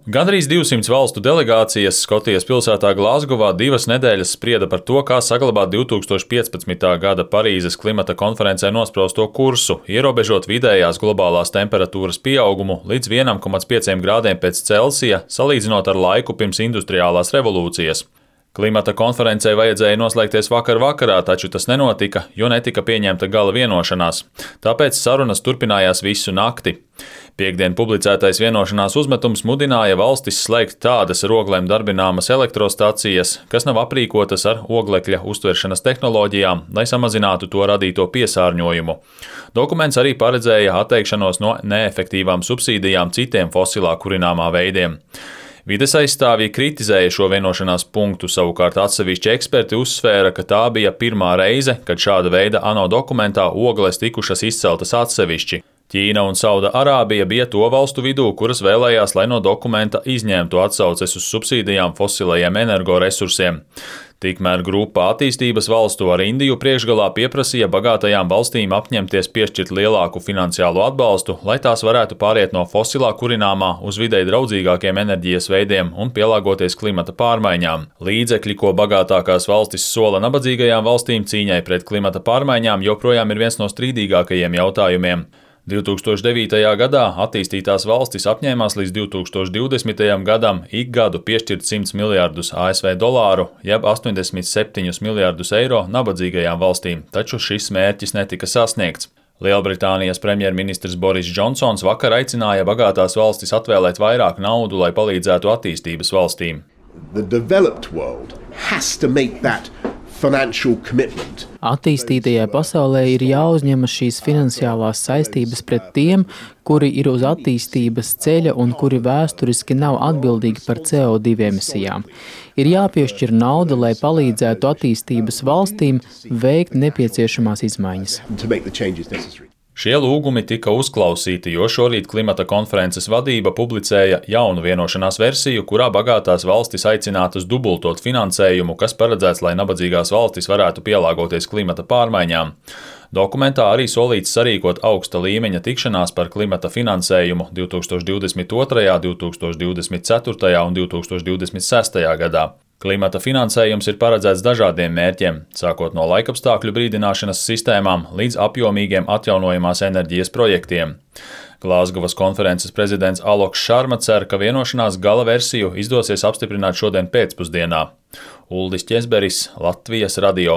Gandrīz 200 valstu delegācijas Skotijas pilsētā Glazgovā 2 nedēļas sprieda par to, kā saglabāt 2015. gada Parīzes klimata konferencē nosprausto kursu, ierobežot vidējās globālās temperatūras pieaugumu līdz 1,5 grādiem pēc Celsija, salīdzinot ar laiku pirms industriālās revolūcijas. Klimata konferencē vajadzēja noslēgties vakar vakarā, taču tas nenotika, jo netika pieņemta gala vienošanās. Tāpēc sarunas turpinājās visu nakti. Piektdien publicētais vienošanās uzmetums mudināja valstis slēgt tādas ar oglēm darbināmas elektrostacijas, kas nav aprīkotas ar oglekļa uztveršanas tehnoloģijām, lai samazinātu to radīto piesārņojumu. Dokuments arī paredzēja atteikšanos no neefektīvām subsīdijām citiem fosilā kurināmā veidiem. Vides aizstāvji kritizēja šo vienošanās punktu, savukārt atsevišķi eksperti uzsvēra, ka tā bija pirmā reize, kad šāda veida ANO dokumentā ogles tikušas izceltas atsevišķi. Ķīna un Sauda-Arābija bija to valstu vidū, kuras vēlējās, lai no dokumenta izņemtu atsauces uz subsīdijām fosilajiem energoresursiem. Tikmēr grupa attīstības valstu ar Indiju priekšgalā pieprasīja bagātajām valstīm apņemties piešķirt lielāku finansiālu atbalstu, lai tās varētu pāriet no fosilā kurināmā uz videi draudzīgākiem enerģijas veidiem un pielāgoties klimata pārmaiņām. Līdzekļi, ko bagātākās valstis sola nabadzīgajām valstīm cīņai pret klimata pārmaiņām, joprojām ir viens no strīdīgākajiem jautājumiem. 2009. gadā attīstītās valstis apņēmās līdz 2020. gadam ik gadu piešķirt 100 miljārdus ASV dolāru, jeb 87 miljārdus eiro nabadzīgajām valstīm, taču šis mērķis netika sasniegts. Lielbritānijas premjerministrs Boris Džonsons vakar aicināja bagātās valstis atvēlēt vairāk naudu, lai palīdzētu attīstības valstīm. Attīstītajai pasaulē ir jāuzņemas šīs finansiālās saistības pret tiem, kuri ir uz attīstības ceļa un kuri vēsturiski nav atbildīgi par CO2 emisijām. Ir jāpiešķir nauda, lai palīdzētu attīstības valstīm veikt nepieciešamās izmaiņas. Šie lūgumi tika uzklausīti, jo šorīt klimata konferences vadība publicēja jaunu vienošanās versiju, kurā bagātās valstis aicinātas dubultot finansējumu, kas paredzēts, lai nabadzīgās valstis varētu pielāgoties klimata pārmaiņām. Dokumentā arī solīts sarīkot augsta līmeņa tikšanās par klimata finansējumu 2022., 2024. un 2026. gadā. Klimata finansējums ir paredzēts dažādiem mērķiem, sākot no laikapstākļu brīdināšanas sistēmām līdz apjomīgiem atjaunojamās enerģijas projektiem. Glazgovas konferences prezidents Aloks Šarma cer, ka vienošanās gala versiju izdosies apstiprināt šodien pēcpusdienā. Uldis Ķezberis, Latvijas radio.